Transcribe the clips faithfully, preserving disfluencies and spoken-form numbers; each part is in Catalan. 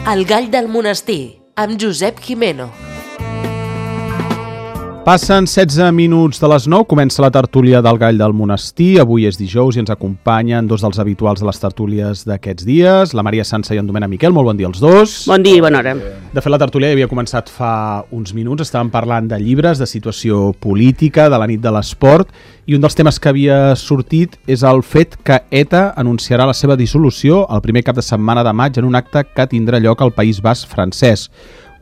El gall del monestir, amb Josep Gimeno. Passen setze minuts de les nou, comença la tertúlia del Gall del Monestir. Avui és dijous i ens acompanyen dos dels habituals de les tertúlies d'aquests dies, la Maria Sansa i en Domènec Miquel. Molt bon dia als dos. Bon dia i bona hora. De fet, la tertúlia havia començat fa uns minuts. Estàvem parlant de llibres, de situació política, de la nit de l'esport, i un dels temes que havia sortit és el fet que ETA anunciarà la seva dissolució el primer cap de setmana de maig en un acte que tindrà lloc al País Basc francès.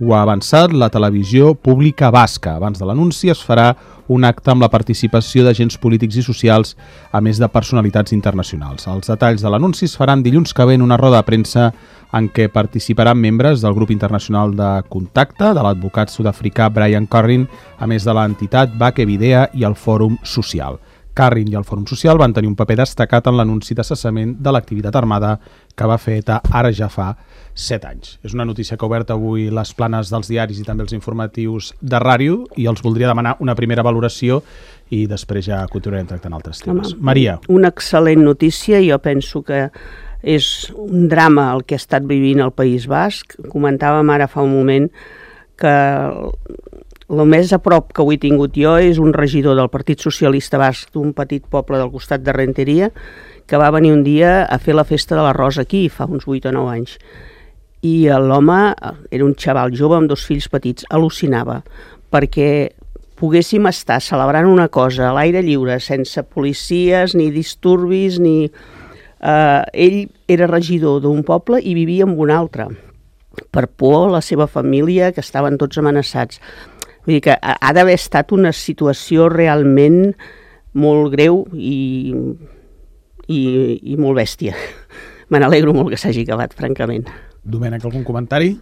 Ho ha avançat la televisió pública basca. Abans de l'anunci es farà un acte amb la participació d'agents polítics i socials, a més de personalitats internacionals. Els detalls de l'anunci es faran dilluns que ve en una roda de premsa en què participaran membres del grup internacional de contacte, de l'advocat sud-africà Brian Currin, a més de l'entitat Bake Video i el Fòrum Social. Currin i el Fòrum Social van tenir un paper destacat en l'anunci de cessament de l'activitat armada que va fer ETA ara ja fa set anys. És una notícia que ha obert avui les planes dels diaris i també els informatius de ràdio i els voldria demanar una primera valoració i després ja continuarem tractant altres temes. Home, Maria. Una excel·lent notícia. Jo penso que és un drama el que ha estat vivint el País Basc. Comentàvem ara fa un moment que el més a prop que ho he tingut jo és un regidor del Partit Socialista Basc d'un petit poble del costat de Renteria que va venir un dia a fer la festa de l'arròs aquí, fa uns vuit o nou anys. I l'home era un xaval jove amb dos fills petits, al·lucinava, perquè poguéssim estar celebrant una cosa a l'aire lliure, sense policies, ni disturbis, ni... Eh, ell era regidor d'un poble i vivia en un altre, per por a la seva família, que estaven tots amenaçats. Vull dir que ha d'haver estat una situació realment molt greu i, i, i molt bèstia. Me n'alegro molt que s'hagi acabat, francament. Domènec, algun comentari?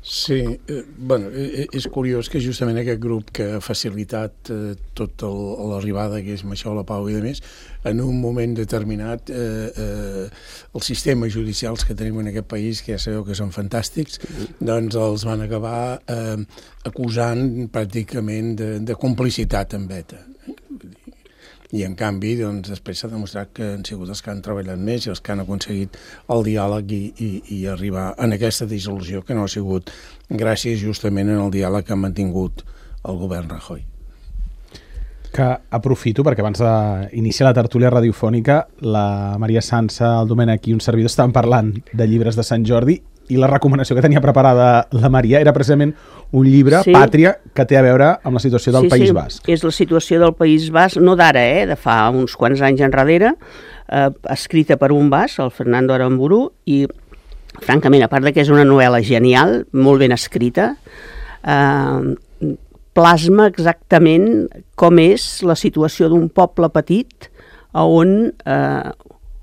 Sí, eh, bueno, eh, és curiós que justament aquest grup que ha facilitat eh, tota l'arribada, que és això, la Pau i de més, en un moment determinat eh, eh, els sistemes judicials que tenim en aquest país, que ja sabeu que són fantàstics, doncs els van acabar eh, acusant pràcticament de, de complicitat amb ETA. I en canvi, doncs, després s'ha demostrat que han sigut els que han treballat més i els que han aconseguit el diàleg i, i, i arribar en aquesta dissolució que no ha sigut gràcies justament en el diàleg que ha mantingut el govern Rajoy. Que aprofito, perquè abans d'iniciar la tertúlia radiofònica, la Maria Sansa, el Domènec i un servidor estaven parlant de llibres de Sant Jordi i la recomanació que tenia preparada la Maria era precisament un llibre, sí. Pàtria, que té a veure amb la situació del sí, País sí. Basc. És la situació del País Basc, no d'ara, eh, de fa uns quants anys enrere, eh, escrita per un basc, el Fernando Aramburu, i francament, a part de que és una novel·la genial, molt ben escrita, eh, plasma exactament com és la situació d'un poble petit on eh,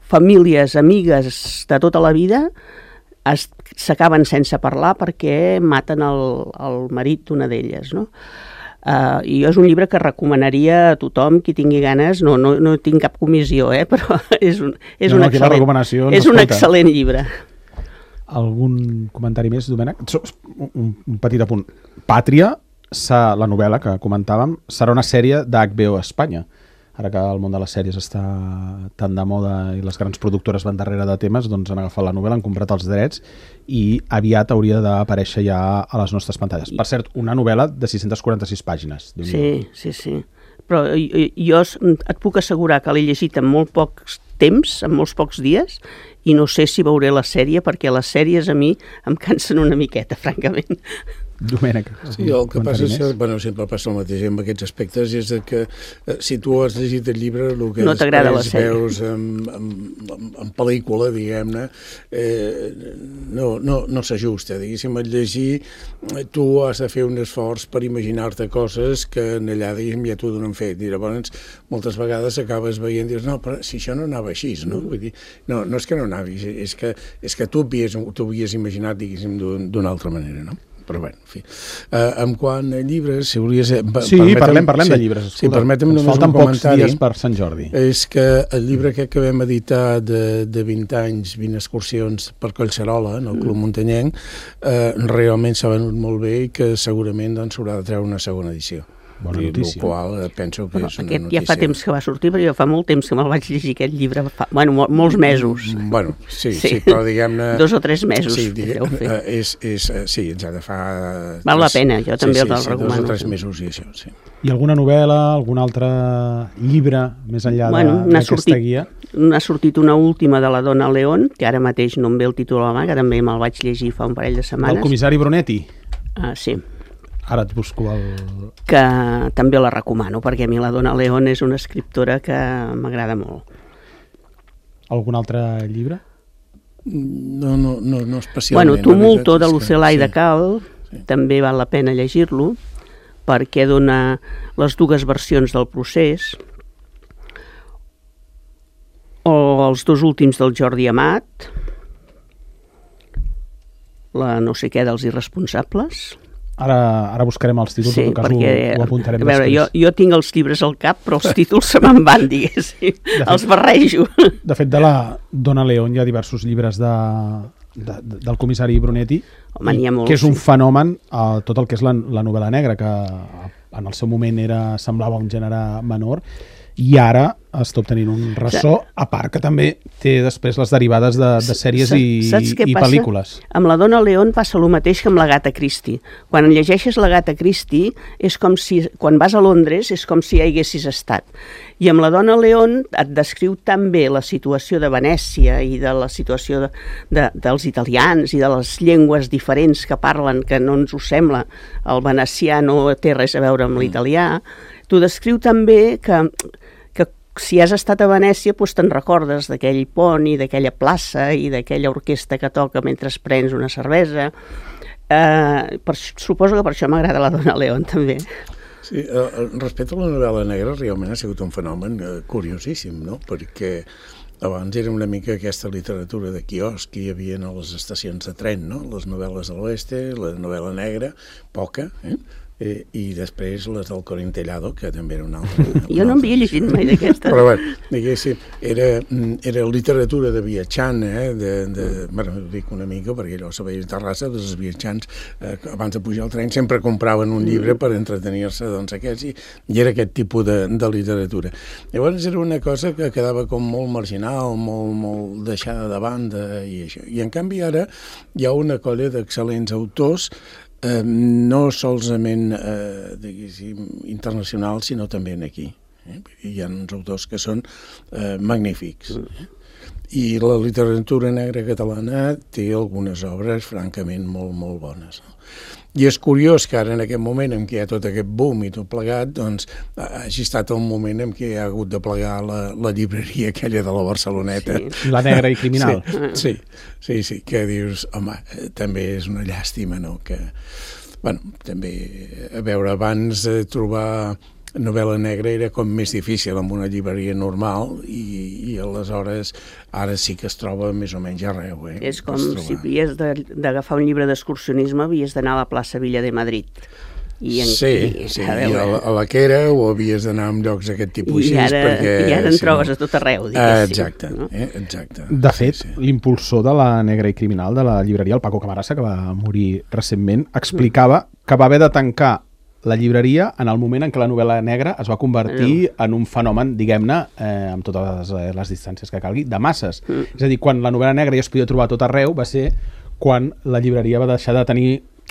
famílies, amigues de tota la vida s'acaben sense parlar perquè maten el, el marit d'una d'elles, no? Uh, i és un llibre que recomanaria a tothom qui tingui ganes, no, no, no tinc cap comissió, eh, però és un, és no, un, no, excel·lent, és un excel·lent llibre. Algun comentari més, Domènec? Un, un petit apunt. Pàtria, la novel·la que comentàvem, serà una sèrie d'H B O a Espanya. Ara que el món de les sèries està tan de moda i les grans productores van darrere de temes, doncs han agafat la novel·la, han comprat els drets i aviat hauria d'aparèixer ja a les nostres pantalles. Per cert, una novel·la de sis-centes quaranta-sis pàgines. Sí, sí, sí. Però jo, jo et puc assegurar que l'he llegit en molt pocs temps, en molts pocs dies, i no sé si veuré la sèrie, perquè les sèries a mi em cansen una miqueta, francament. Domènec. Sí, el que passa és que, bueno, sempre passa el mateix amb aquests aspectes, és que eh, si tu has llegit el llibre, el que no després veus en, en, en, en pel·lícula, diguem-ne, eh, no, no, no s'ajusta. Diguéssim, al llegir, tu has de fer un esforç per imaginar-te coses que en allà, diguéssim, ja t'ho donen fet. I llavors, moltes vegades acabes veient i dius, no, però si això no anava així, no? Vull dir, no, no és que no anava, és que, és que tu t'ho havies imaginat, diguéssim, d'una altra manera, no? Però bé, en fi. Uh, en quant a llibres, si volies... Sí, parlem, parlem sí, de llibres. Sí, permetem només falten un comentari. Pocs dies per Sant Jordi. És que el llibre que acabem editar de, de vint anys, vint excursions per Collserola, en el Club mm. Muntanyenc, eh, realment s'ha venut molt bé i que segurament doncs, s'haurà de treure una segona edició. Bona I notícia. el qual penso que Però és una aquest notícia. ja fa temps que va sortir, però jo fa molt temps que me'l vaig llegir, aquest llibre, fa, bueno, mol, molts mesos. Bueno, sí, sí, Sí. sí però diguem-ne... Dos o tres mesos sí, que diguem, deu fer. eh, és, és, eh, sí, ens ha de fa... Val la pena, jo també sí, el sí, recomano. Dos o tres mesos i això, sí. I alguna novel·la, algun altre llibre més enllà de- Bueno, n'ha d'aquesta sortit, guia? n'ha sortit una última de la Dona León, que ara mateix no em ve el títol a la mà, que també me'l vaig llegir fa un parell de setmanes. Del comissari Brunetti? Ah, sí, Ara et busco el... que també la recomano, perquè a mi la Dona León és una escriptora que m'agrada molt. Algun altre llibre? No, no, no, no especialment. Bueno, la Tumulto, veritat de és que- Lucelà i de sí. Cal, Sí. també val la pena llegir-lo, perquè dona les dues versions del procés, o els dos últims del Jordi Amat, la no sé què dels irresponsables. Ara, ara buscarem els títols, Sí, en tot cas perquè, ho, ho apuntarem a veure, després. jo, jo tinc els llibres al cap, però els títols se me'n van, diguéssim. fet- Els barrejo. De fet, de la Dona León hi ha diversos llibres de, de, de, del comissari Brunetti, Home, n'hi ha molts, que és un sí. fenomen a tot el que és la, la novel·la negra, que en el seu moment era, semblava un gènere menor, i ara està obtenint un ressò, a part que també té després les derivades de, de sèries Sa- i, saps què i passa? pel·lícules. Amb la Dona León passa el mateix que amb la Gata Christie. Quan llegeixes la Gata Christie, és com si, quan vas a Londres, és com si hi haguessis estat. I amb la Dona León et descriu tan bé la situació de Venècia i de la situació de, de, dels italians i de les llengües diferents que parlen, que no ens ho sembla. El venecià no té res a veure amb l'italià. T'ho descriu tan bé que que si has estat a Venècia doncs te'n recordes d'aquell pont i d'aquella plaça i d'aquella orquestra que toca mentre prens una cervesa. Eh, per, suposo que per això m'agrada la Dona León també. Sí, eh, respecte a la novel·la negra, realment ha sigut un fenomen eh, curiosíssim, no? Perquè abans era una mica aquesta literatura de quiosc que hi havia a les estacions de tren, no? Les novel·les de l'oeste, la novel·la negra, poca, eh? Eh, i després les del Corintellado, que també era una altra. Jo no havia llegit mai d'aquesta. Però bé, diguéssim, era, era literatura de viatjant, eh? de, de, bueno, dic una mica, perquè allò se veia a Terrassa, doncs els viatjants, eh, abans de pujar al tren, sempre compraven un llibre per entretenir-se, doncs aquests, i, i era aquest tipus de, de literatura. Llavors era una cosa que quedava com molt marginal, molt, molt deixada de banda, i això. I en canvi ara hi ha una colla d'excel·lents autors, Eh, no solament eh, diguéssim, internacionals, sinó també aquí. Eh? Hi ha uns autors que són eh, magnífics. Eh? I la literatura negra catalana té algunes obres francament molt, molt bones. No? I és curiós que ara, en aquest moment en què hi ha tot aquest boom i tot plegat, doncs hagi estat el moment en què hi ha hagut de plegar la, la llibreria aquella de la Barceloneta. Sí. La negra i criminal. Sí, sí, sí, sí, que dius, home, també és una llàstima, no?, que, bueno, també, a veure, abans de trobar novel·la negra era com més difícil amb una llibreria normal i, i aleshores ara sí que es troba més o menys arreu. Eh? És com Pots trobar. si havies de- d'agafar un llibre d'excursionisme, havies d'anar a la plaça Villa de Madrid. I en, Sí, i, sí, a i a veure, la, a la Quera o havies d'anar en llocs d'aquest tipus i així. ara, perquè, i ara en si trobes no- a tot arreu, Ah, diguéssim. exacte, No? eh? exacte. De fet, Sí, sí. l'impulsor de la Negra i Criminal de la llibreria, el Paco Camarasa, que va morir recentment, explicava que va haver de tancar la llibreria en el moment en què la novel·la negra es va convertir en un fenomen, diguem-ne, eh, amb totes les, les distàncies que calgui, de masses. Mm. És a dir, quan la novel·la negra ja es podia trobar a tot arreu, va ser quan la llibreria va deixar de tenir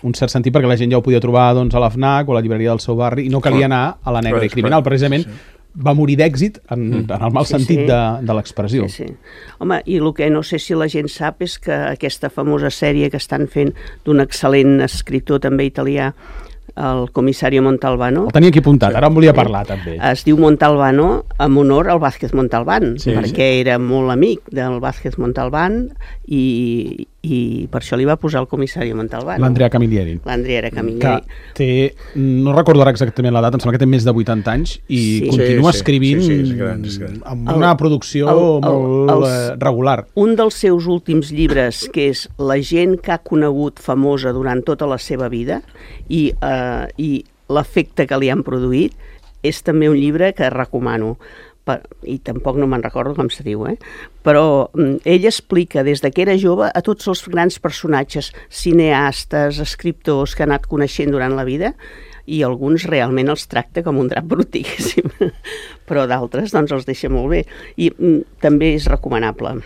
un cert sentit, perquè la gent ja ho podia trobar doncs, a l'Fnac o a la llibreria del seu barri, i no calia anar a la Negra Clar, i Criminal. clar, Precisament sí. va morir d'èxit en, mm. en el mal Sí, sentit sí. de, de l'expressió. Sí, sí. Home, i el que no sé si la gent sap és que aquesta famosa sèrie que estan fent d'un excel·lent escriptor també italià, el Comissario Montalbano, El tenia aquí apuntat, ara en volia parlar també. es diu Montalbano en honor al Vázquez Montalbán, Sí, perquè era molt amic del Vázquez Montalbán i, i per això li va posar el Comissario Montalbano. L'Andrea Camilleri. L'Andrea Que Camilleri. té, no recordo ara exactament l'edat, em sembla que té més de vuitanta anys i Sí. continua Sí, sí, escrivint sí, sí, és gran, és gran. amb El- una producció el- el- molt els- eh, regular. Un dels seus últims llibres, que és La gent que ha conegut famosa durant tota la seva vida i, eh, i l'efecte que li han produït, és també un llibre que recomano. Per, i tampoc no me'n recordo com se diu, eh? Però mm, ell explica des de que era jove a tots els grans personatges, cineastes, escriptors que ha anat coneixent durant la vida, i alguns realment els tracta com un drap brut, diguéssim. Però d'altres doncs els deixa molt bé. I mm, també és recomanable.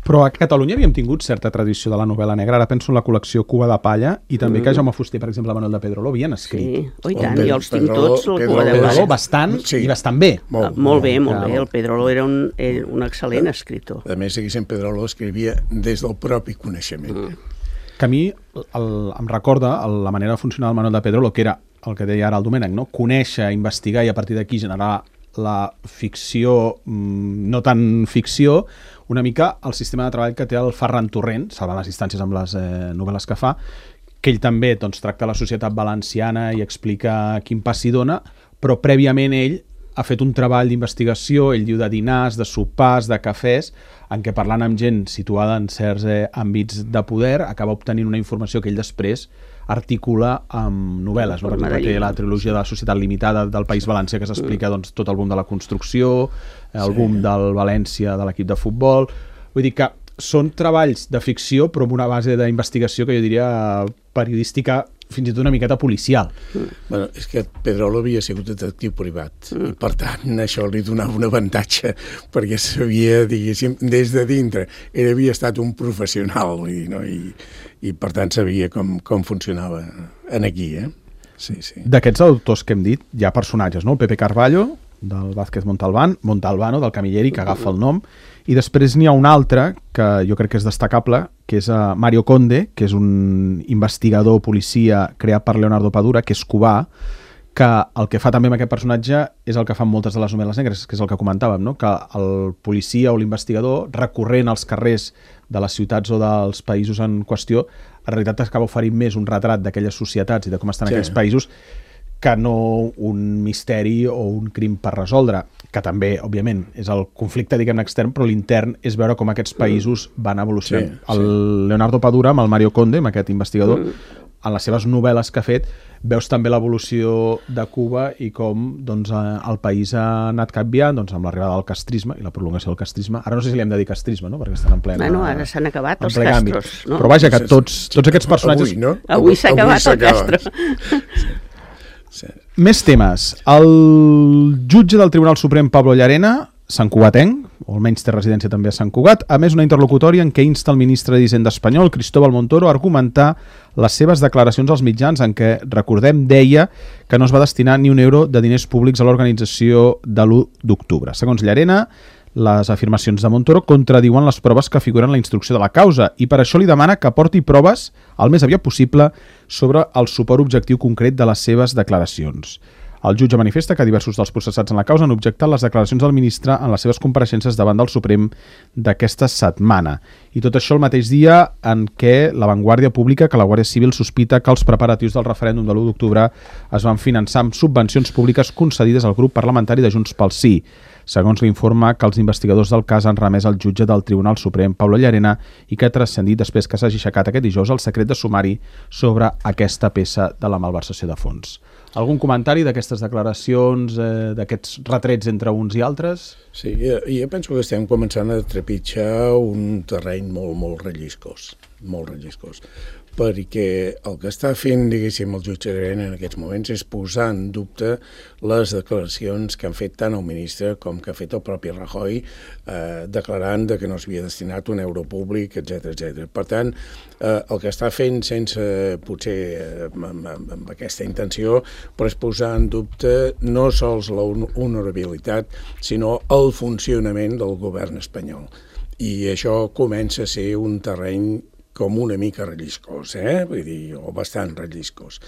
Però a Catalunya havíem tingut certa tradició de la novel·la negra. Ara penso en la col·lecció Cuba de Palla i també mm. que Jaume Fuster, per exemple, Manuel de Pedrolo havien escrit. Sí, oh, i tant, oh, jo els tinc tots, el Cuba de Pedrolo, Palla. Bastant, sí. I bastant bé. Molt, ah, molt bé, molt bé. El Pedrolo era un, era un excel·lent escriptor. A més, aquí sempre Pedrolo escrivia des del propi coneixement. Mm. Que a mi el, em recorda el, la manera de funcionar del Manuel de Pedrolo, que era el que deia ara el Domènec, no? Conèixer, investigar i a partir d'aquí generar la ficció, no tan ficció, una mica el sistema de treball que té el Ferran Torrent, salvant les distàncies amb les eh, novel·les que fa, que ell també doncs, tracta la societat valenciana i explica quin pas s'hi dona, però prèviament ell ha fet un treball d'investigació, ell diu de dinars, de sopars, de cafès, en què parlant amb gent situada en certs eh, àmbits de poder, acaba obtenint una informació que ell després articula amb novel·les. No? Per exemple, té la trilogia de la Societat Limitada del País Valencià, que s'explica doncs, tot el boom de la construcció, el boom sí. del València, de l'equip de futbol. Vull dir que són treballs de ficció, però amb una base d'investigació que jo diria periodística, fins i tot una miqueta policial. Mm. Bueno, és que Pedrolo havia sigut detectiu privat, mm. i per tant això li donava un avantatge, perquè sabia, diguéssim, des de dintre, ell havia estat un professional, vull dir, no? I, i per tant sabia com, com funcionava en aquí, eh? Sí, sí. D'aquests autors que hem dit, hi ha personatges, no? El Pepe Carballo, del Vázquez Montalbán, Montalbano, del Camilleri, que agafa el nom, i després n'hi ha un altre que jo crec que és destacable, que és uh, Mario Conde, que és un investigador policia creat per Leonardo Padura, que és cubà, que el que fa també amb aquest personatge és el que fan moltes de les novel·les negres, que és el que comentàvem, no? Que el policia o l'investigador, recorrent als carrers de les ciutats o dels països en qüestió, en realitat acaba oferint més un retrat d'aquelles societats i de com estan sí. aquells països que no un misteri o un crim per resoldre, que també, òbviament, és el conflicte, diguem-ne, extern, però l'intern és veure com aquests països van evolucionant. Sí, sí. El Leonardo Padura, amb el Mario Conde, amb aquest investigador, mm. en les seves novel·les que ha fet, veus també l'evolució de Cuba i com doncs, el país ha anat canviant doncs, amb l'arribada del castrisme i la prolongació del castrisme. Ara no sé si li hem de dir castrisme, no? Perquè estan en plena... Bueno, ara s'han acabat els castros. No? Però vaja, que tots, tots aquests personatges... Avui, no? Avui s'ha acabat el castro. Sí. Sí. Més temes. El jutge del Tribunal Suprem, Pablo Llarena, santcugatenc, o almenys té residència també a Sant Cugat, a més una interlocutòria en què insta el ministre d'Hisenda espanyol, Cristóbal Montoro, a argumentar les seves declaracions als mitjans en què, recordem, deia que no es va destinar ni un euro de diners públics a l'organització de l'u d'octubre. Segons Llarena, les afirmacions de Montoro contradiuen les proves que figuren en la instrucció de la causa i per això li demana que aporti proves el més aviat possible sobre el suport objectiu concret de les seves declaracions. El jutge manifesta que diversos dels processats en la causa han objectat les declaracions del ministre en les seves compareixences davant del Suprem d'aquesta setmana. I tot això el mateix dia en què La Vanguardia publica que la Guàrdia Civil sospita que els preparatius del referèndum de l'u d'octubre es van finançar amb subvencions públiques concedides al grup parlamentari de Junts pel Sí. Segons l'informe que els investigadors del cas han remès al jutge del Tribunal Suprem, Pablo Llarena, i que ha transcendit després que s'hagi aixecat aquest dijous el secret de sumari sobre aquesta peça de la malversació de fons. Algun comentari d'aquestes declaracions, eh, d'aquests retrets entre uns i altres? Sí, jo, jo penso que estem començant a trepitjar un terreny molt, molt relliscós, molt relliscós, perquè el que està fent, diguéssim, el jutge Llarena en aquests moments és posar en dubte les declaracions que han fet tant el ministre com que ha fet el propi Rajoy, eh, declarant de que no s'havia destinat un euro públic, etcètera, etcètera. Per tant, eh, el que està fent sense, potser, eh, amb, amb, amb aquesta intenció, però és posar en dubte no sols la honorabilitat, sinó el funcionament del govern espanyol. I això comença a ser un terreny com una mica relliscós, eh? Vull dir, o bastant relliscós.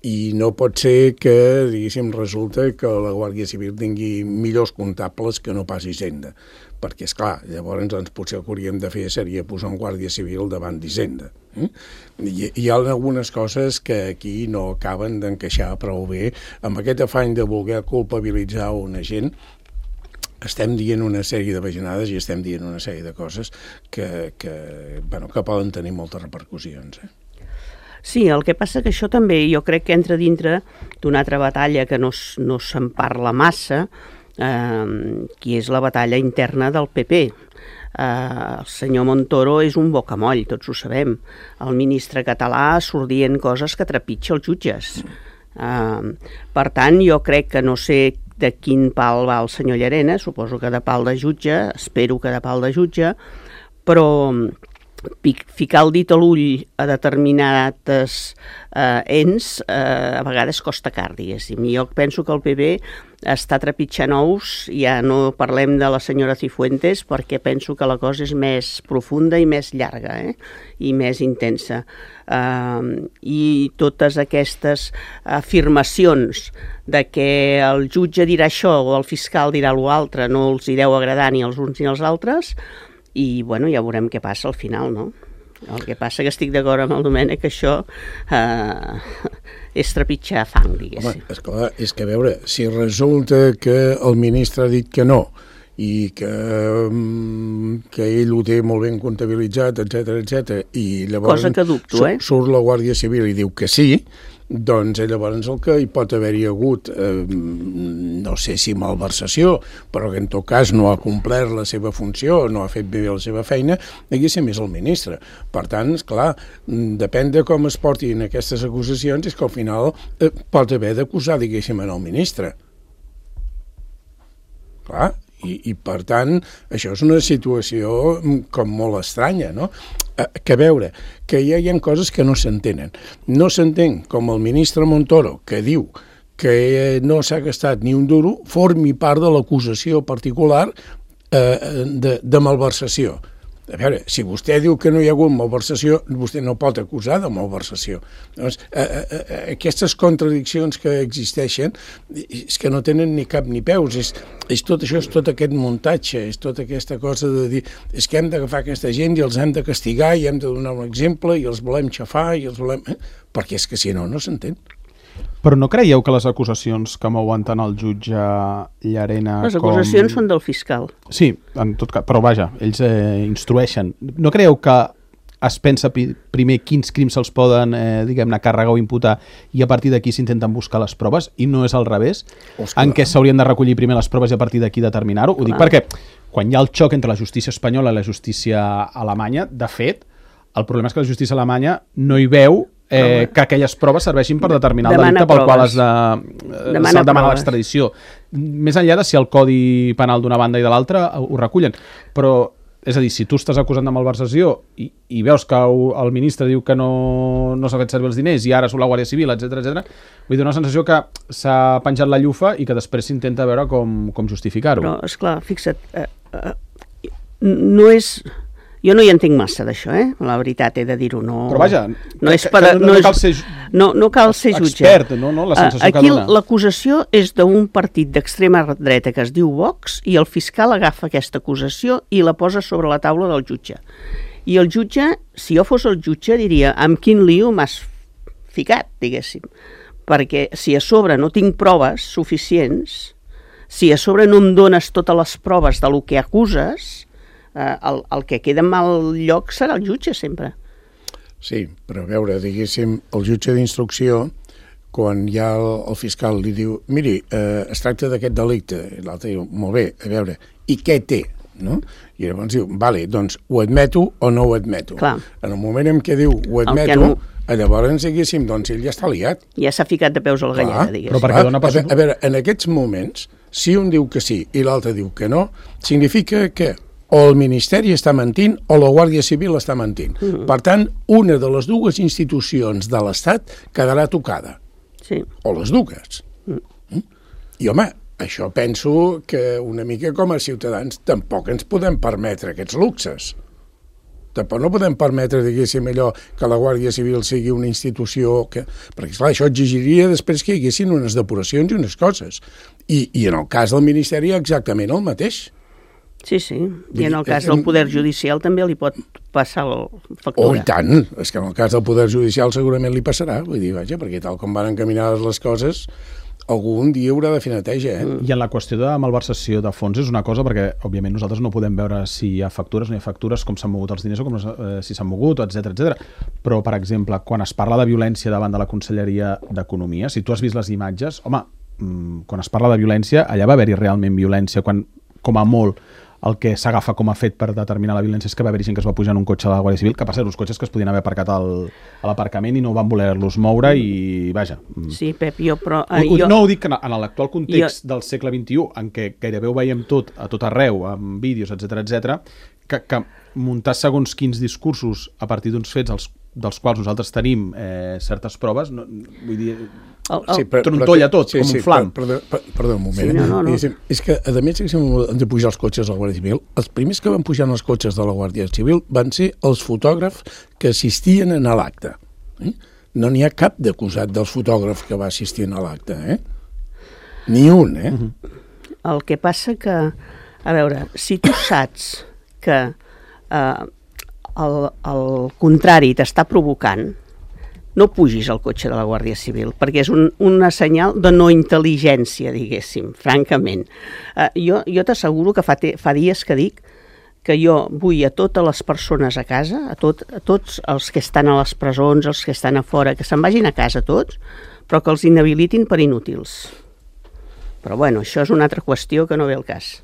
I no pot ser que, diguéssim, resulta que la Guàrdia Civil tingui millors comptables que no pas Hisenda, perquè, esclar, llavors doncs, potser el que hauríem de fer seria posar un Guàrdia Civil davant d'Hisenda. Eh? Hi, hi ha algunes coses que aquí no acaben d'encaixar prou bé amb aquest afany de voler culpabilitzar una gent. Estem dient una sèrie de bajanades i estem dient una sèrie de coses que, que, bueno, que poden tenir moltes repercussions. Eh? Sí, el que passa que això també jo crec que entra dintre d'una altra batalla que no, no se'n parla massa, eh, que és la batalla interna del P P. Eh, el senyor Montoro és un bocamoll, tots ho sabem. El ministre català surt dient coses que trepitja els jutges. Uh, per tant, jo crec que no sé de quin pal va el senyor Llarena, suposo que de pal de jutge, espero que de pal de jutge, però ficar el dit a l'ull a determinats eh, ens eh, a vegades costa car, diguéssim. Jo penso que el P B està trepitjant ous, ja no parlem de la senyora Cifuentes, perquè penso que la cosa és més profunda i més llarga, eh? I més intensa. Uh, I totes aquestes afirmacions de que el jutge dirà això o el fiscal dirà l'altre no els hi deu agradar ni als uns ni als altres, i bueno, ja veurem què passa al final, no? El que passa que estic d'acord amb el Domènec que això eh, és trepitjar fang, diguéssim. Home, esclar, és que a veure, si resulta que el ministre ha dit que no i que, que ell ho té molt ben comptabilitzat, etcètera, etcètera, i llavors cosa que dubto, eh? surt la Guàrdia Civil i diu que sí, doncs llavors el que hi pot haver-hi hagut, eh, no sé si malversació, però que en tot cas no ha complert la seva funció, no ha fet bé la seva feina, diguéssim, és el ministre. Per tant, esclar, depèn de com es portin aquestes acusacions, és que al final eh, pot haver d'acusar, diguéssim, en el ministre. Clar, i, i per tant, això és una situació com molt estranya, no? Que a veure, que ja hi ha coses que no s'entenen. No s'entén com el ministre Montoro, que diu que no s'ha gastat ni un duro, formi part de l'acusació particular eh, de, de malversació. A veure, si vostè diu que no hi ha hagut malversació, vostè no pot acusar de malversació. Doncs, eh, eh, aquestes contradiccions que existeixen és que no tenen ni cap ni peus. És, és tot això, és tot aquest muntatge, és tota aquesta cosa de dir és que hem d'agafar aquesta gent i els hem de castigar i hem de donar un exemple i els volem xafar i els volem... Eh? Perquè és que si no, no s'entén. Però no creieu que les acusacions que mouen tant el jutge Llarena com... Les acusacions com... són del fiscal. Sí, en tot cas, però vaja, ells eh, instrueixen. No creieu que es pensa primer quins crims se'ls poden, eh, diguem-ne, càrregar o imputar i a partir d'aquí s'intenten buscar les proves i no és al revés? Oscar. En què s'haurien de recollir primer les proves i a partir d'aquí determinar-ho? Ho dic perquè quan hi ha el xoc entre la justícia espanyola i la justícia alemanya, de fet, el problema és que la justícia alemanya no hi veu Eh, que aquelles proves serveixin per determinar el delicte pel qual es de, eh, se'l demana l'extradició. Més enllà de si el codi penal d'una banda i de l'altra ho recullen. Però, és a dir, si tu estàs acusant de malversació i, i veus que el ministre diu que no, no s'ha fet servir els diners i ara surt la Guàrdia Civil, etcètera, etcètera, vull dir una sensació que s'ha penjat la llufa i que després s'intenta veure com, com justificar-ho. Però, esclar, fixa't, eh, eh, no és... Jo no hi entenc massa d'això, eh? La veritat, he de dir-ho. No, però vaja, no, és per, no, no, no cal ser, no, no cal ser jutge. Expert, no? No? La sensació Aquí que dona. L'acusació és d'un partit d'extrema dreta que es diu Vox i el fiscal agafa aquesta acusació i la posa sobre la taula del jutge. I el jutge, si jo fos el jutge, diria amb quin lío m'has ficat, diguéssim. Perquè si a sobre no tinc proves suficients, si a sobre no em dones totes les proves de lo que acuses... Uh, el, el que queda en mal lloc serà el jutge sempre. Sí, però a veure, diguéssim, el jutge d'instrucció, quan ja el, el fiscal li diu miri, eh, es tracta d'aquest delicte, i l'altre diu, molt bé, a veure, i què té? No? I llavors diu, vale, doncs ho admeto o no ho admeto. Clar. En el moment en què diu ho admeto, no... llavors, diguéssim, doncs ell ja està liat. Ja s'ha ficat de peus a la galleda, diguéssim. Però perquè dona pas... a, a veure, en aquests moments, si un diu que sí i l'altre diu que no, significa que o el Ministeri està mentint o la Guàrdia Civil està mentint. Mm-hmm. Per tant, una de les dues institucions de l'Estat quedarà tocada. Sí. O les dues. Mm. I, home, això penso que una mica com a ciutadans tampoc ens podem permetre aquests luxes. Tampoc no podem permetre, diguéssim, allò que la Guàrdia Civil sigui una institució que... Perquè, esclar, això exigiria després que hi haguessin unes depuracions i unes coses. I, i en el cas del Ministeri exactament el mateix. Sí, sí, i en el cas del Poder Judicial també li pot passar el factura. Oh, i tant, és que en el cas del Poder Judicial segurament li passarà, vull dir, vaja, perquè tal com van encaminades les coses, algun dia haurà de fer neteja, eh? I en la qüestió de malversació de fons és una cosa, perquè, òbviament, nosaltres no podem veure si hi ha factures o no hi ha factures, com s'han mogut els diners o com, eh, si s'han mogut, etcètera, etcètera. Però, per exemple, quan es parla de violència davant de la Conselleria d'Economia, si tu has vist les imatges, home, quan es parla de violència, allà va haver-hi realment violència, quan, com a molt, el que s'agafa com a fet per determinar la violència és que va haver gent que es va pujar en un cotxe de la Guàrdia Civil, que per ser uns cotxes que es podien haver aparcat al, a l'aparcament i no van voler-los moure i, vaja... Sí, Pep, jo... Però, eh, jo... No ho dic que en l'actual context jo... del segle vint-i-u, en què gairebé ho veiem tot, a tot arreu, amb vídeos, etcètera, etcètera, que, que muntar segons quins discursos a partir d'uns fets els, dels quals nosaltres tenim eh, certes proves, no, vull dir... El, el... Sí, trontolla tot, sí, com sí, un flam. Perdó, perdó un moment. Sí, no, no, no. És, és que, a més, que hem de pujar els cotxes de la Guàrdia Civil, els primers que van pujar en els cotxes de la Guàrdia Civil van ser els fotògrafs que assistien a l'acte. Eh? No n'hi ha cap d'acusat dels fotògrafs que va assistir a l'acte, eh? Ni un, eh? Uh -huh. El que passa que, a veure, si tu saps que eh, el, el contrari t'està provocant, no pugis al cotxe de la Guàrdia Civil, perquè és un, una senyal de no intel·ligència, diguéssim, francament. Eh, jo jo t'asseguro que fa, te, fa dies que dic que jo vull a totes les persones a casa, a, tot, a tots els que estan a les presons, els que estan a fora, que se'n vagin a casa tots, però que els inhabilitin per inútils. Però bueno, això és una altra qüestió que no ve al cas.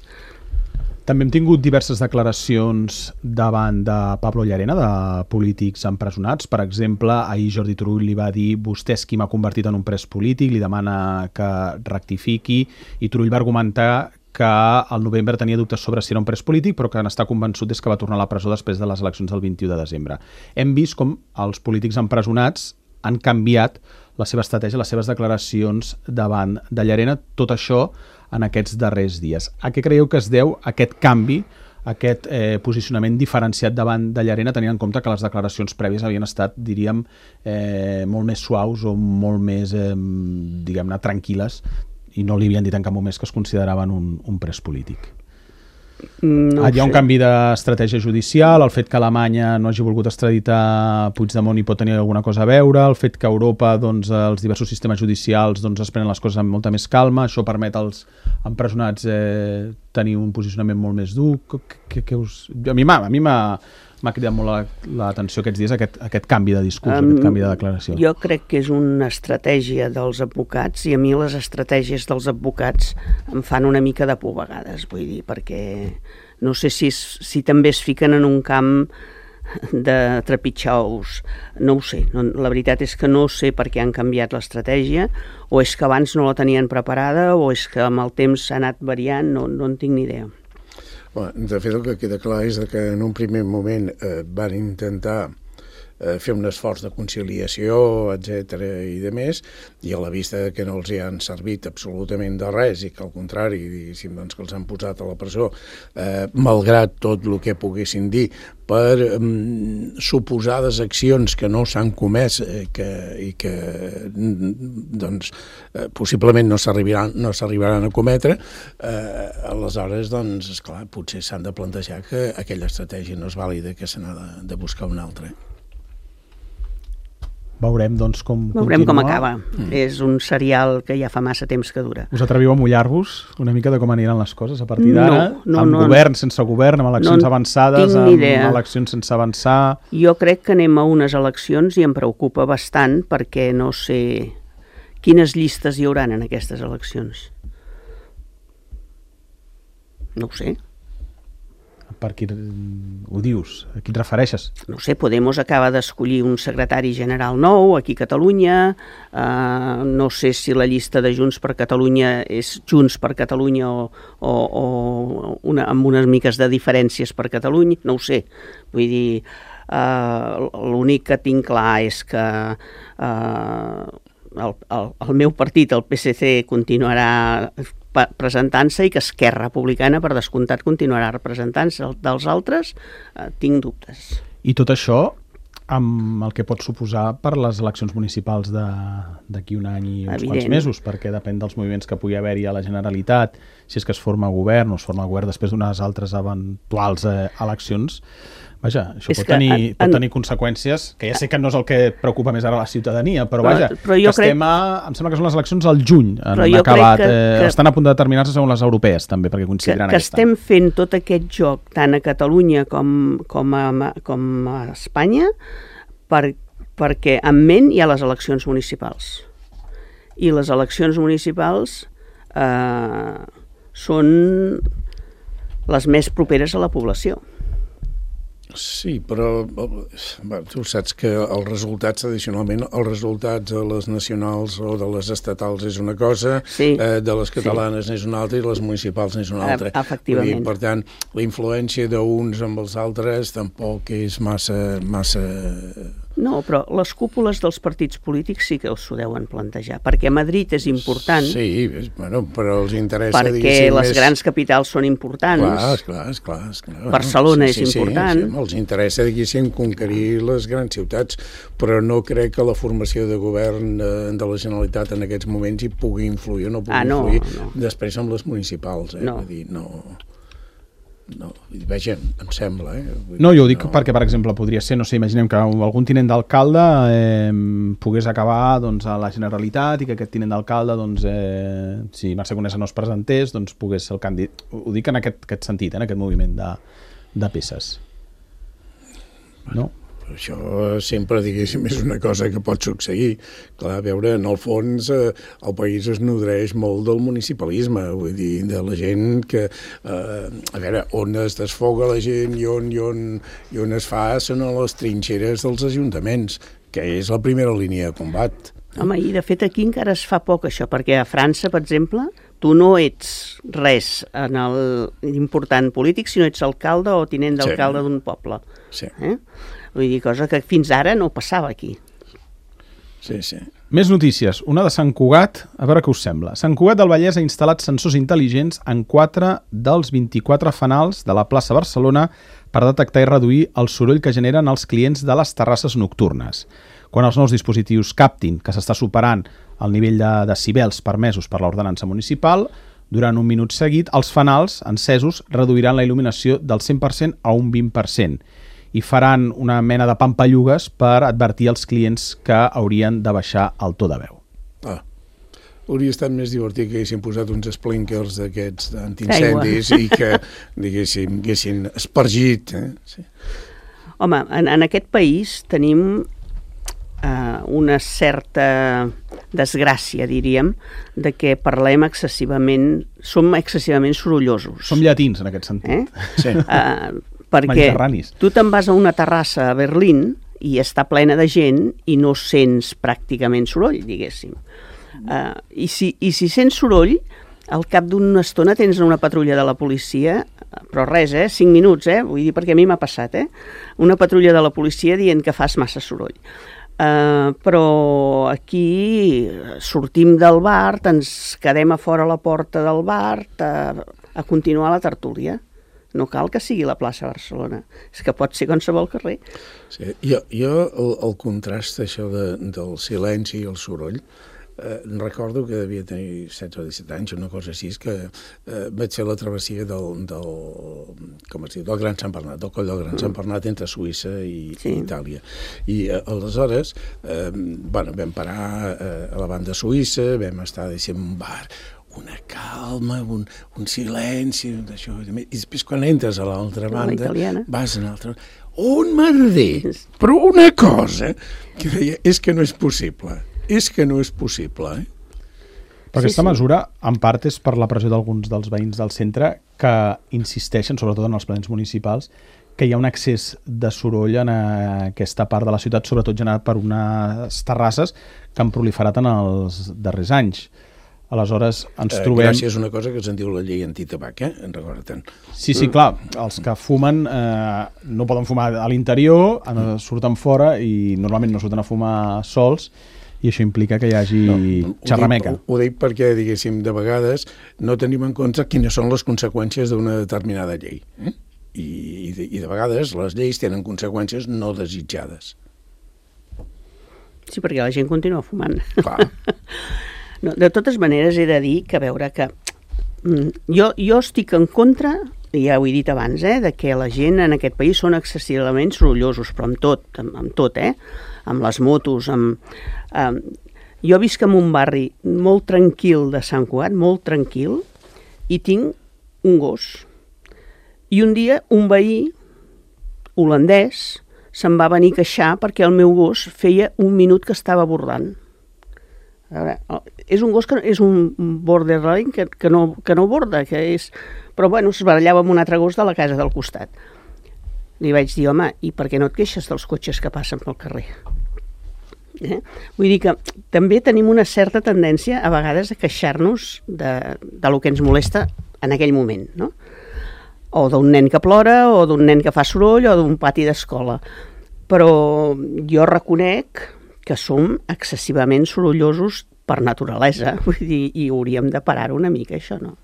També hem tingut diverses declaracions davant de Pablo Llarena, de polítics empresonats. Per exemple, ahir Jordi Turull li va dir vostè és qui m'ha convertit en un pres polític, li demana que rectifiqui, i Turull va argumentar que al novembre tenia dubtes sobre si era un pres polític, però que n'està convençut des que va tornar a la presó després de les eleccions del vint-i-u de desembre. Hem vist com els polítics empresonats han canviat la seva estratègia, les seves declaracions davant de Llarena, tot això en aquests darrers dies. A què creieu que es deu aquest canvi, aquest eh, posicionament diferenciat davant de Llarena, tenint en compte que les declaracions prèvies havien estat, diríem, eh, molt més suaus o molt més, eh, diguem-ne, tranquil·les, i no li havien dit en cap moment que es consideraven un, un pres polític? No Hi ha un canvi d'estratègia judicial, el fet que Alemanya no hagi volgut extraditar Puigdemont hi pot tenir alguna cosa a veure, el fet que a Europa doncs, els diversos sistemes judicials doncs, es prenen les coses amb molta més calma, això permet als empresonats eh, tenir un posicionament molt més dur. Que, que us... A mi m'ha m'ha cridat molt l'atenció aquests dies aquest, aquest canvi de discurs, um, aquest canvi de declaració. Jo crec que és una estratègia dels advocats, i a mi les estratègies dels advocats em fan una mica de por a vegades, vull dir, perquè no sé si, si també es fiquen en un camp de trepitjar ous, no ho sé, no, la veritat és que no sé per què han canviat l'estratègia, o és que abans no la tenien preparada, o és que amb el temps s'ha anat variant, no, no en tinc ni idea. Bueno, de fet, el que queda clar és que en un primer moment eh, van intentar eh, fer un esforç de conciliació, etcètera i de més, i a la vista que no els hi han servit absolutament de res i que al contrari, diguéssim, doncs, que els han posat a la presó, eh, malgrat tot el que poguessin dir, per um, suposades accions que no s'han comès eh, que, i que doncs, eh, possiblement no s'arribaran no s'arribaran a cometre, eh, aleshores, doncs, esclar, potser s'han de plantejar que aquella estratègia no és vàlida, que se n'ha de, de buscar una altra. Veurem, doncs, com Veurem continua. com acaba. Mm. És un serial que ja fa massa temps que dura. Us atreviu a mullar-vos una mica de com aniran les coses a partir d'ara? No, no, amb no, govern, sense govern, amb eleccions no avançades, amb idea. eleccions sense avançar... Jo crec que anem a unes eleccions i em preocupa bastant perquè no sé quines llistes hi hauran en aquestes eleccions. No ho sé. Per qui ho dius? A qui et refereixes? No sé, Podemos acaba d'escollir un secretari general nou aquí a Catalunya, uh, no sé si la llista de Junts per Catalunya és Junts per Catalunya o, o, o una, amb unes miques de diferències per Catalunya, no ho sé. Vull dir, uh, l'únic que tinc clar és que uh, el, el, el meu partit, el P S C, continuarà presentant-se i que Esquerra Republicana, per descomptat, continuarà representant-se. Dels altres, eh, tinc dubtes. I tot això amb el que pot suposar per les eleccions municipals d'aquí un any i uns Evident. quants mesos, perquè depèn dels moviments que pugui haver-hi a la Generalitat, si és que es forma govern o es forma govern després d'unes altres eventuals eh, eleccions. Vaja, això pot tenir, en, pot tenir conseqüències, que ja sé que no és el que preocupa més ara la ciutadania, però, però vaja, però que estem a, em sembla que són les eleccions al juny, han acabat, que, eh, que, estan a punt de determinar-se segons les europees també, perquè coincidiran que, que aquest any. Que estem fent tot aquest joc tant a Catalunya com, com, a, com a Espanya per, perquè en ment hi ha les eleccions municipals. I les eleccions municipals eh, són les més properes a la població. Sí, però bé, tu saps que els resultats, tradicionalment, els resultats de les nacionals o de les estatals és una cosa, sí, eh, de les catalanes sí. n'és una altra i les municipals n'és una altra. Efectivament. Dir, per tant, la influència d'uns amb els altres tampoc és massa... massa... No, però les cúpules dels partits polítics sí que s'ho deuen plantejar, perquè Madrid és important. Sí, bueno, però els interessa... Perquè les més... grans capitals són importants. Clar, esclar, esclar. esclar. Barcelona sí, sí, és important. Sí, sí, els interessa, diguéssim, conquerir les grans ciutats, però no crec que la formació de govern de la Generalitat en aquests moments hi pugui influir o no pugui ah, no, influir no. després amb les municipals. Eh? No. Vull dir, no... No, veja, em sembla. Eh? No, jo ho dic no. perquè, per exemple, podria ser, no sé, imaginem que algun tinent d'alcalde eh, pogués acabar doncs, a la Generalitat i que aquest tinent d'alcalde, doncs, eh, si Mercè Conesa no es presentés, doncs pogués ser el candidat. Ho dic en aquest, aquest sentit, eh, en aquest moviment de, de peces. No? Això sempre, diguéssim, és una cosa que pot succeir. Clar, a veure, en el fons eh, el país es nodreix molt del municipalisme, vull dir, de la gent que, eh, a veure, on es desfoga la gent i on, i on, i on es fa són a les trinxeres dels ajuntaments, que és la primera línia de combat. Home, i de fet aquí encara es fa poc això, perquè a França, per exemple, tu no ets res en l'important polític, sinó ets alcalde o tinent d'alcalde sí. d'un poble. Sí. Eh? Vull dir, cosa que fins ara no passava aquí. Sí, sí. Més notícies. Una de Sant Cugat, a veure què us sembla. Sant Cugat del Vallès ha instal·lat sensors intel·ligents en quatre dels vint-i-quatre fanals de la plaça Barcelona per detectar i reduir el soroll que generen els clients de les terrasses nocturnes. Quan els nous dispositius captin que s'està superant el nivell de decibels permesos per l'ordenança municipal, durant un minut seguit, els fanals encesos reduiran la il·luminació del cent per cent a un vint per cent i faran una mena de pampallugues per advertir als clients que haurien de baixar el to de veu. Ah, hauria estat més divertit que haguessin posat uns sprinkers d'aquests antiincendis i que, diguéssim, haguessin espargit. Eh? Sí. Home, en, en aquest país tenim eh, una certa desgràcia, diríem, de que parlem excessivament, som excessivament sorollosos. Som llatins, en aquest sentit. Eh? Sí. Eh, perquè tu te'n vas a una terrassa a Berlín i està plena de gent i no sents pràcticament soroll, diguéssim. Uh, i, si, I si sents soroll, al cap d'una estona tens una patrulla de la policia, però res, eh? cinc minuts, eh? Vull dir, perquè a mi m'ha passat, eh? Una patrulla de la policia dient que fas massa soroll. Uh, però aquí sortim del bar, ens quedem a fora a la porta del bar a, a continuar la tertúlia. No cal que sigui la plaça Barcelona, és que pot ser qualsevol carrer. Sí, jo, jo el, el contrast això de, del silenci i el soroll, eh, recordo que devia tenir setze o disset anys, una cosa així, que eh, vaig fer la travessia del, del, com es diu, del Gran Sant Bernat, del coll del Gran mm. Sant Bernat entre Suïssa i, sí. i Itàlia. I eh, aleshores eh, bueno, vam parar eh, a la banda suïssa, vam estar, diguéssim, en un bar, una calma, un, un silenci, d'això, i després quan entres a l'altra banda, vas a l'altra banda, un merder, però una cosa que deia, és que no és possible, és que no és possible, eh? Però aquesta sí, sí. mesura, en part, és per la pressió d'alguns dels veïns del centre que insisteixen, sobretot en els plens municipals, que hi ha un excés de soroll en aquesta part de la ciutat, sobretot generat per unes terrasses que han proliferat en els darrers anys. Aleshores, ens eh, trobem... Gràcies a una cosa que se'n diu la llei antitabac, eh? En recorda-te'n. Sí, sí, clar. Els que fumen eh, no poden fumar a l'interior, surten fora i normalment no surten a fumar sols, i això implica que hi hagi no, xerrameca. Ho dic, ho dic perquè, diguéssim, de vegades no tenim en compte quines són les conseqüències d'una determinada llei. Eh? I, i, de, I de vegades les lleis tenen conseqüències no desitjades. Sí, perquè la gent continua fumant. Clar. No, de totes maneres, he de dir que, a veure, que mm, jo, jo estic en contra, ja ho he dit abans, eh, de que la gent en aquest país són excessivament sorollosos, però amb tot, amb, amb tot, eh? Amb les motos, amb... amb... Jo visc en un barri molt tranquil de Sant Cugat, molt tranquil, i tinc un gos. I un dia un veí holandès se'n va venir a queixar perquè el meu gos feia un minut que estava bordant. A veure, és un gos que és un borderline que, que, no, que no borda, que és... Però bueno, es barallava amb un altre gos de la casa del costat. Li vaig dir, home, i per què no et queixes dels cotxes que passen pel carrer? Eh? Vull dir que també tenim una certa tendència a vegades a queixar-nos de, de lo que ens molesta en aquell moment, no? O d'un nen que plora, o d'un nen que fa soroll, o d'un pati d'escola. Però jo reconec que som excessivament sorollosos per naturalesa, vull dir, i hauríem de parar una mica, això, no?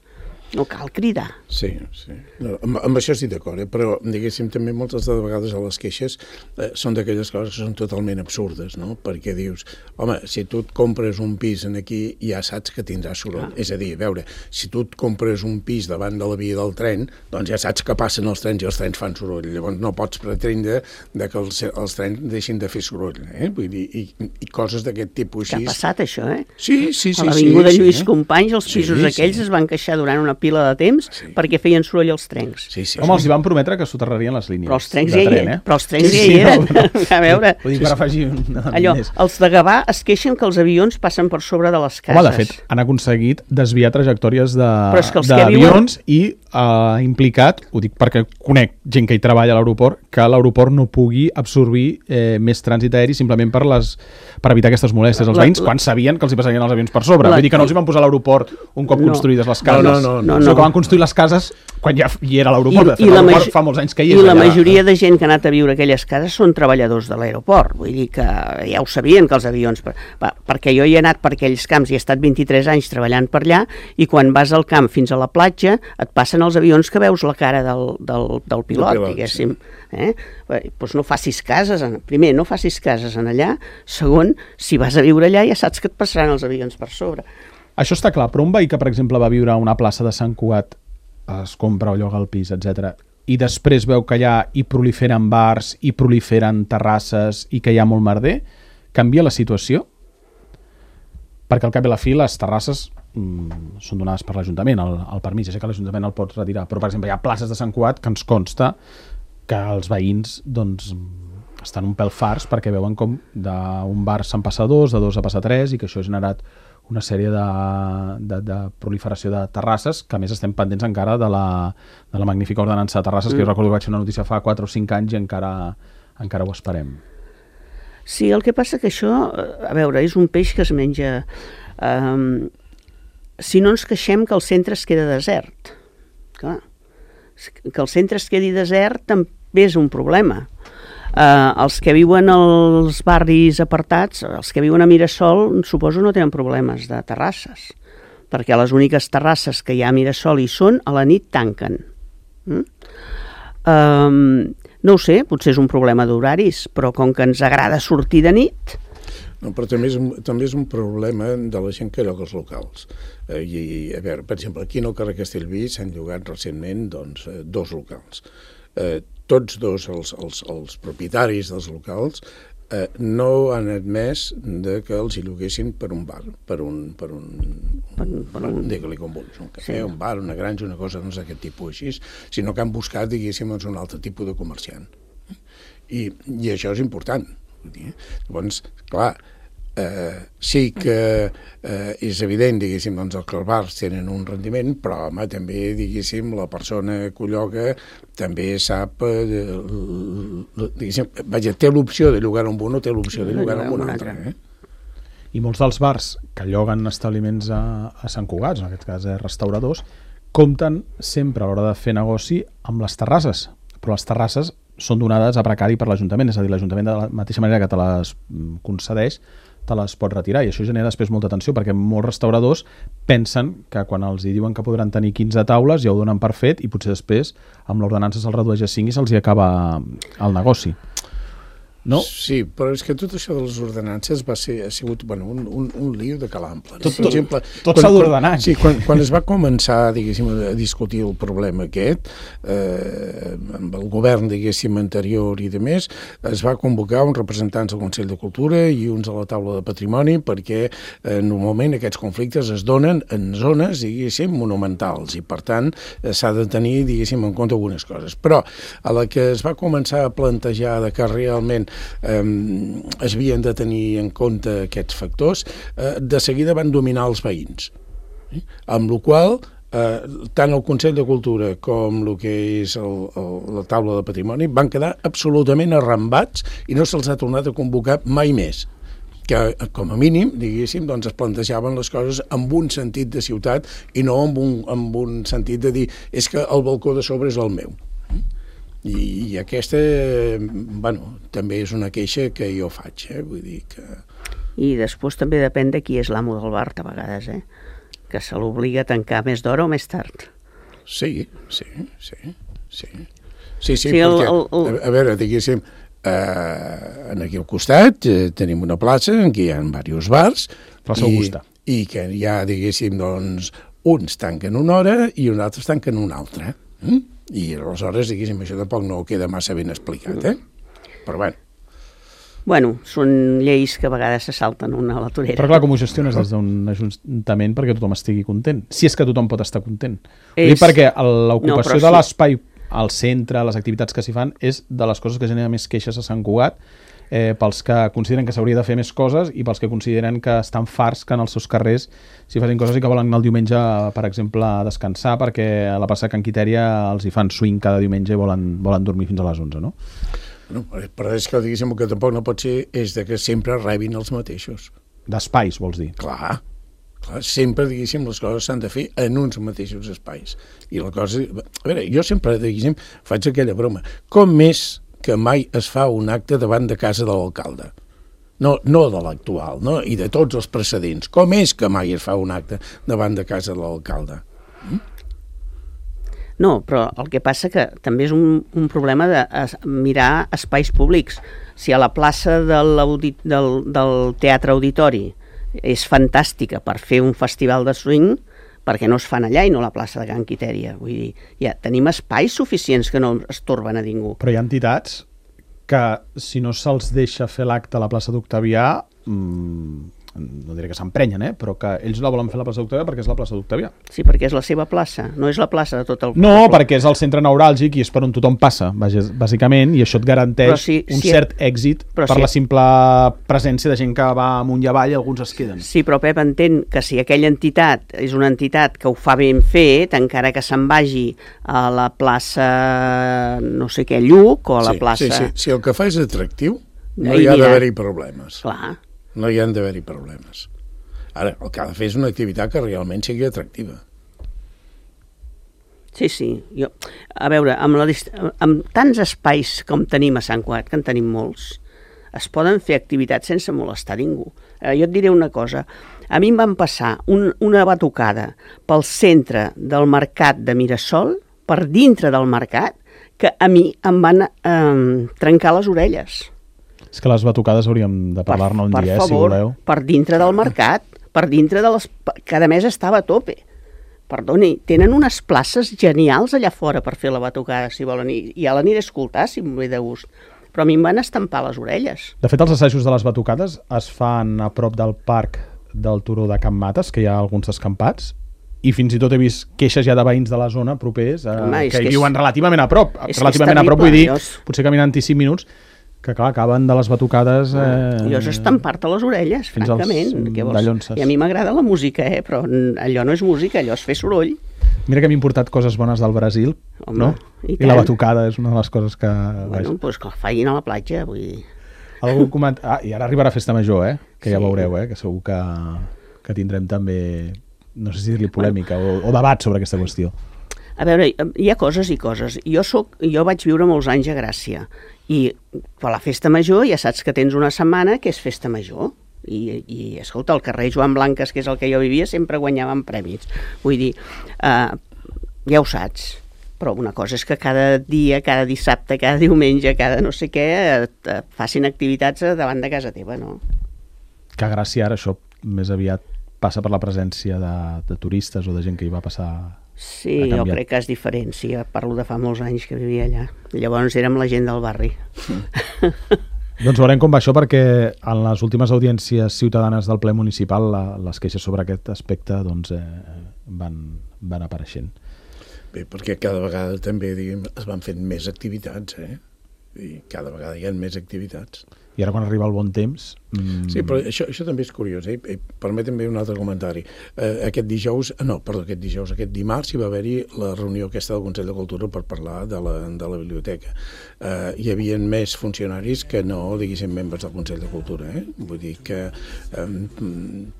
No cal cridar. Sí, sí. No, amb, amb això estic d'acord, eh? Però, diguéssim, també moltes de vegades a les queixes eh, són d'aquelles coses que són totalment absurdes, no? Perquè dius, home, si tu et compres un pis en aquí, ja saps que tindràs soroll. Ah. És a dir, a veure, si tu et compres un pis davant de la via del tren, doncs ja saps que passen els trens i els trens fan soroll. Llavors no pots pretendre de que els, els trens deixin de fer soroll, eh? Vull dir, i, i coses d'aquest tipus així... Que ha passat, això, eh? Sí, sí, sí. A l'Avinguda sí, Lluís sí, Companys, els pisos sí, aquells sí. es van queixar durant una pila de temps sí. perquè feien soroll els trens. Sí, sí. Home, els hi van prometre que soterrarien les línies però els trens de ja tren, eh? Però els trens sí, ja sí, hi eren. No, no. A veure... Ho dic per afegir un allò, els de Gavà es queixen que els avions passen per sobre de les cases. Home, de fet, han aconseguit desviar trajectòries d'avions de, viuen... i ha uh, implicat, ho dic perquè conec gent que hi treballa a l'aeroport, que l'aeroport no pugui absorbir eh, més trànsit aeri simplement per, les, per evitar aquestes molèsties als veïns, la, quan sabien que els hi passarien els avions per sobre. La, Vull dir que no els hi van posar a l'aeroport un cop no. construïdes les cases. No, no, no. no, no. no. Que van construir les cases quan ja hi era l'aeroport. I, i l'aeroport fa molts anys que hi és. I la allà. majoria de gent que ha anat a viure a aquelles cases són treballadors de l'aeroport. Vull dir que ja ho sabien, que els avions... Va, perquè jo hi he anat per aquells camps i he estat vint-i-tres anys treballant per allà i quan vas al camp fins a la platja et passen els avions que veus la cara del, del, del pilot, pilot, diguéssim. Sí. Eh? Doncs no facis cases, en... primer, no facis cases en allà, segon, si vas a viure allà ja saps que et passaran els avions per sobre. Això està clar, però un veí que, per exemple, va viure a una plaça de Sant Cugat, es compra o lloga el pis, etcètera, i després veu que allà hi proliferen bars, hi proliferen terrasses i que hi ha molt merder, canvia la situació? Perquè al cap i a la fi les terrasses mm, són donades per l'Ajuntament, el, el permís, ja sé que l'Ajuntament el pot retirar, però per exemple hi ha places de Sant Cugat que ens consta que els veïns doncs, estan un pèl farts perquè veuen com d'un bar se'n passa a dos, de dos a passar a tres i que això ha generat una sèrie de, de, de proliferació de terrasses, que a més estem pendents encara de la, de la magnífica ordenança de terrasses, mm. que jo recordo que vaig fer una notícia fa quatre o cinc anys i encara, encara ho esperem. Sí, el que passa que això, a veure, és un peix que es menja... Um, si no ens queixem que el centre es queda desert. Clar, que el centre es quedi desert també és un problema. Uh, els que viuen als barris apartats, els que viuen a Mirasol, suposo no tenen problemes de terrasses, perquè les úniques terrasses que hi ha a Mirasol hi són, a la nit tanquen. Mm? Um, no ho sé, potser és un problema d'horaris, però com que ens agrada sortir de nit... No, però també és, un, també és un problema de la gent que lloga els locals. Eh, i, a veure, per exemple, aquí en el carrer Castellví s'han llogat recentment doncs, dos locals. Eh, tots dos els, els, els propietaris dels locals eh, no han admès de que els hi lloguessin per un bar, per un, per un, per, per un digue-li com vulguis, un cafè, sí. un bar, una granja, una cosa doncs, d'aquest tipus així, sinó que han buscat, diguéssim, doncs, un altre tipus de comerciant. I, i això és important. Llavors, clar, eh, sí que eh, és evident, diguéssim, doncs, que els bars tenen un rendiment, però, home, també, diguéssim, la persona que ho lloga també sap, eh, diguéssim, vaja, té l'opció de llogar amb un o té l'opció de llogar amb un altre. Eh? I molts dels bars que lloguen establiments a, a Sant Cugat, en aquest cas eh, restauradors, compten sempre a l'hora de fer negoci amb les terrasses, però les terrasses són donades a precari per l'Ajuntament, és a dir, l'Ajuntament de la mateixa manera que te les concedeix, te les pot retirar, i això genera després molta tensió, perquè molts restauradors pensen que quan els diuen que podran tenir quinze taules ja ho donen per fet i potser després amb l'ordenança se'ls redueix a cinc i se'ls hi acaba el negoci. No? Sí, però és que tot això de les ordenances va ser, ha sigut bueno, un, un, un lío de calample. Tot, per exemple, tot s'ha d'ordenar. Sí, quan, quan es va començar, diguéssim, a discutir el problema aquest, eh, amb el govern, diguéssim, anterior i de més, es va convocar uns representants del Consell de Cultura i uns a la taula de patrimoni perquè eh, normalment aquests conflictes es donen en zones, diguéssim, monumentals i per tant eh, s'ha de tenir, diguéssim, en compte algunes coses. Però a la que es va començar a plantejar de que realment eh, es havien de tenir en compte aquests factors, eh, de seguida van dominar els veïns. Eh? Amb la qual cosa, eh, tant el Consell de Cultura com el que és el, el, la taula de patrimoni van quedar absolutament arrambats i no se'ls ha tornat a convocar mai més. Que, com a mínim, diguéssim, doncs es plantejaven les coses amb un sentit de ciutat i no amb un, amb un sentit de dir és que el balcó de sobre és el meu. I, i aquesta, bueno, també és una queixa que jo faig, eh? Vull dir que... I després també depèn de qui és l'amo del bar, a vegades, eh? Que se l'obliga a tancar més d'hora o més tard. Sí, sí, sí, sí. Sí, sí, sí perquè, el, el, el... a, a veure, diguéssim, eh, aquí al costat eh, tenim una plaça en què hi ha diversos bars. Plaça Augusta. I, i que hi ha, diguéssim, doncs, uns tanquen una hora i uns altres tanquen una altra. Mm? I aleshores, diguéssim, això tampoc no queda massa ben explicat, eh? Però bueno. Bueno, són lleis que a vegades se salten una a la torera. Però clar, com ho gestiones des d'un ajuntament perquè tothom estigui content? Si és que tothom pot estar content. És... Dic perquè l'ocupació no, de sí. l'espai al centre, les activitats que s'hi fan, és de les coses que genera més queixes a Sant Cugat, eh, pels que consideren que s'hauria de fer més coses i pels que consideren que estan farts que en els seus carrers s'hi facin coses i que volen anar el diumenge, per exemple, a descansar perquè a la plaça Can Quitèria els hi fan swing cada diumenge i volen, volen dormir fins a les onze, no? No, però és que, diguéssim, el que tampoc no pot ser és de que sempre rebin els mateixos. D'espais, vols dir? Clar, clar, sempre, diguéssim, les coses s'han de fer en uns mateixos espais. I la cosa... A veure, jo sempre, diguéssim, faig aquella broma. Com més que mai es fa un acte davant de casa de l'alcalde? No, no de l'actual, no? I de tots els precedents. Com és que mai es fa un acte davant de casa de l'alcalde? Mm? No, però el que passa que també és un, un problema de mirar espais públics. Si a la plaça del, del, del Teatre Auditori és fantàstica per fer un festival de swing, perquè no es fan allà i no a la plaça de Can Quitèria? Vull dir, ja tenim espais suficients que no estorben a ningú. Però hi ha entitats que, si no se'ls deixa fer l'acte a la plaça d'Octavià, mmm, no diré que s'emprenyen, eh? Però que ells la volen fer a la plaça d'Octavià perquè és la plaça d'Octavià. Sí, perquè és la seva plaça, no és la plaça de tot el... No, perquè és el centre neuràlgic i és per on tothom passa, bàsicament, i això et garanteix si, un si cert et... èxit per si... la simple presència de gent que va amunt i avall i alguns es queden. Sí, però Pep entén que si aquella entitat és una entitat que ho fa ben fet, encara que se'n vagi a la plaça no sé què, Lluc, o a la sí, plaça... Sí, sí, si el que fa és atractiu, no hi ha d'haver-hi problemes. Clar. No hi han d'haver-hi problemes. Ara, el que ha de fer és una activitat que realment sigui atractiva. Sí, sí. Jo, a veure, amb, la, amb tants espais com tenim a Sant Cugat, que en tenim molts, es poden fer activitats sense molestar ningú. Eh, jo et diré una cosa. A mi em van passar un, una batucada pel centre del mercat de Mirasol, per dintre del mercat, que a mi em van eh, trencar les orelles. És que les batucades hauríem de parlar-ne un dia, favor, si voleu. Per dintre del mercat, per dintre de les... Cada mes estava a tope. Perdoni, tenen unes places genials allà fora per fer la batucada, si volen, i ja l'aniré a escoltar, si em ve de gust. Però a mi em van estampar les orelles. De fet, els assajos de les batucades es fan a prop del parc del Turó de Can Mates, que hi ha alguns descampats, i fins i tot he vist queixes ja de veïns de la zona propers, eh, Home, que hi viuen és... relativament a prop. Relativament a prop, vull dir, jo... potser caminant-hi cinc minuts, que clar, acaben de les batucades... Eh, allò és estampar-te les orelles, francament. I a mi m'agrada la música, eh? Però allò no és música, allò és fer soroll. Mira que m'he importat coses bones del Brasil, Home, no? I, I la batucada és una de les coses que... Bueno, doncs pues que facin a la platja, vull dir... Algú comenta... Ah, i ara arribarà Festa Major, eh? Que ja sí. Veureu, eh? Que segur que, que tindrem també, no sé si dir-li polèmica bueno. o, o debat sobre aquesta qüestió. A veure, hi ha coses i coses. Jo, soc, jo vaig viure molts anys a Gràcia i per la Festa Major ja saps que tens una setmana que és Festa Major i, i escolta, el carrer Joan Blanques, que és el que jo vivia, sempre guanyaven premis. Vull dir, eh, ja ho saps, però una cosa és que cada dia, cada dissabte, cada diumenge, cada no sé què, et, et facin activitats davant de casa teva, no? Que a Gràcia ara això més aviat passa per la presència de, de turistes o de gent que hi va passar... Sí, jo crec que és diferent, sí, parlo de fa molts anys que vivia allà. Llavors érem la gent del barri. Doncs veurem com va això, perquè en les últimes audiències ciutadanes del ple municipal la, les queixes sobre aquest aspecte doncs, eh, van, van apareixent. Bé, perquè cada vegada també diguem, es van fent més activitats, eh? i cada vegada hi ha més activitats. I ara quan arriba el bon temps... Mm... Sí, però això, això també és curiós, eh? Permetem un altre comentari. Eh, aquest dijous, no, perdó, aquest dijous, aquest dimarts hi va haver-hi la reunió aquesta del Consell de Cultura per parlar de la, de la biblioteca. Eh, hi havia més funcionaris que no, diguéssim, membres del Consell de Cultura, eh? Vull dir que eh,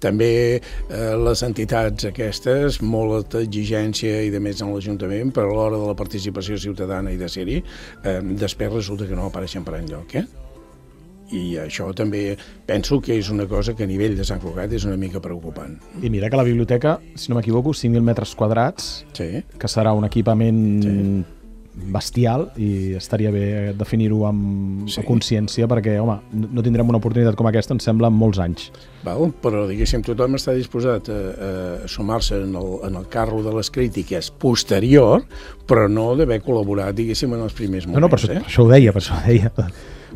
també eh, les entitats aquestes, molta exigència i de més en l'Ajuntament, però a l'hora de la participació ciutadana i de ser-hi, eh, després resulta que no apareixen per enlloc, eh? I això també penso que és una cosa que a nivell de Sant Cugat és una mica preocupant. I mira que la biblioteca, si no m'equivoco, cinc mil metres quadrats, sí. que serà un equipament sí. bestial, i estaria bé definir-ho amb sí. consciència, perquè, home, no tindrem una oportunitat com aquesta, em sembla, en molts anys. Val, però, diguéssim, tothom està disposat a, a sumar-se en, el, en el carro de les crítiques posterior, però no d'haver col·laborat, diguéssim, en els primers moments. No, no, per, eh? per això ho deia, per això ho deia.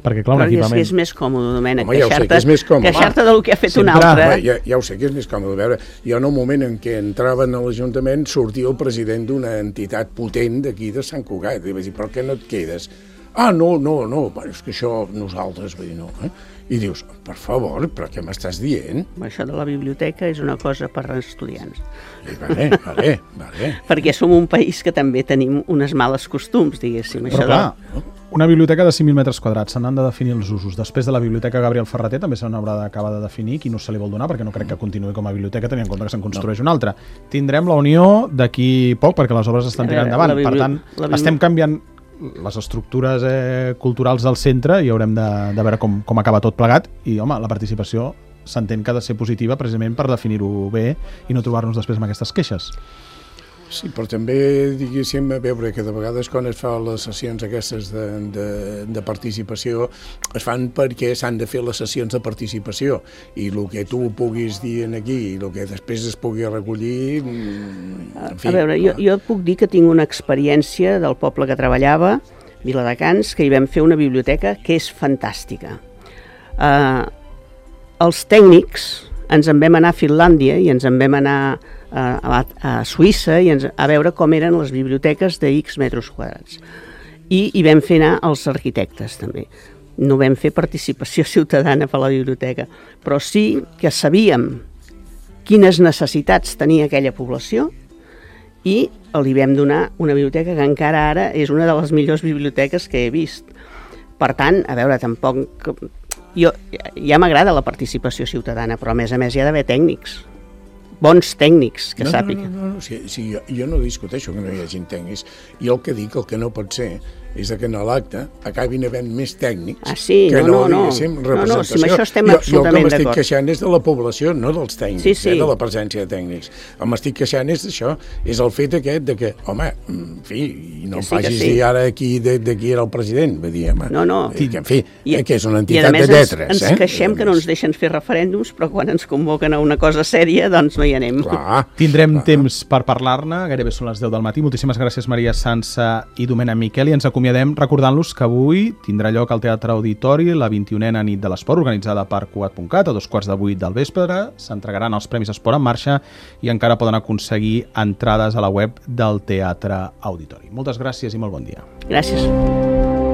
Perquè, clar, un però equipament... és que és més còmode, Domènec, Home, ja ho sé, que és més còmode. queixar-te del que ha fet Sempre. un altre. Home, ja, ja ho sé que és més còmode. A veure, jo en el moment en què entraven a l'Ajuntament sortia el president d'una entitat potent d'aquí de Sant Cugat. I vaig dir, però què no et quedes? Ah, no, no, no, és que això nosaltres, vull dir, no. Eh? I dius, per favor, però què m'estàs dient? Això de la biblioteca és una cosa per a estudiants. I vale, vale, vale. Perquè som un país que també tenim unes males costums, diguéssim. Però això clar, de... una biblioteca de cinc mil metres quadrats, se n'han de definir els usos. Després de la biblioteca Gabriel Ferrater també se n'haurà d'acabar de definir quin ús se li vol donar, perquè no crec que continuï com a biblioteca, tenint en compte que se'n construeix no. una altra. Tindrem la Unió d'aquí poc, perquè les obres estan tirant endavant. Per tant, bibli... estem canviant les estructures eh, culturals del centre i haurem de, de veure com, com acaba tot plegat. I, home, la participació s'entén que ha de ser positiva precisament per definir-ho bé i no trobar-nos després amb aquestes queixes. Sí, però també, diguéssim, a veure que de vegades quan es fan les sessions aquestes de, de, de participació es fan perquè s'han de fer les sessions de participació i el que tu puguis dir aquí i el que després es pugui recollir... En fi, a veure, jo, jo et puc dir que tinc una experiència del poble que treballava, Viladecans, que hi vam fer una biblioteca que és fantàstica. Uh, els tècnics ens en vam anar a Finlàndia i ens en vam anar a, a Suïssa i ens, a veure com eren les biblioteques de X metres quadrats. I hi vam fer anar els arquitectes també. No vam fer participació ciutadana per la biblioteca, però sí que sabíem quines necessitats tenia aquella població i li vam donar una biblioteca que encara ara és una de les millors biblioteques que he vist. Per tant, a veure, tampoc... Jo, ja m'agrada la participació ciutadana, però a més a més hi ha d'haver tècnics, bons tècnics que no, sàpiguen. No, no, no, no. Sí, sí, jo, jo no discuteixo que no hi hagi tècnics. Jo el que dic, el que no pot ser és que en l'acte acabin havent més tècnics ah, sí, que no, no, no, diguéssim, no, representació. no, si amb això estem jo, absolutament d'acord. Jo el que m'estic queixant és de la població, no dels tècnics, sí, sí. Eh, de la presència de tècnics. El m'estic queixant és d'això, és el fet aquest de que, home, en fi, i no que em sí, facis sí. dir ara aquí de, de qui era el president, vull dir, home, no, no. que, en fi, I, eh, que és una i entitat més de lletres. Ens, ens eh? queixem que no ens deixen fer referèndums, però quan ens convoquen a una cosa sèria, doncs no hi anem. Clar, Tindrem clar. temps per parlar-ne, gairebé són les deu del matí. Moltíssimes gràcies, Maria Sança i Domènec Miquel, i ens acomiadem recordant-los que avui tindrà lloc al Teatre Auditori la vint-i-unena nit de l'esport, organitzada per Cugat punt cat a dos quarts de vuit del vespre. S'entregaran els Premis Esport en Marxa i encara poden aconseguir entrades a la web del Teatre Auditori. Moltes gràcies i molt bon dia. Gràcies.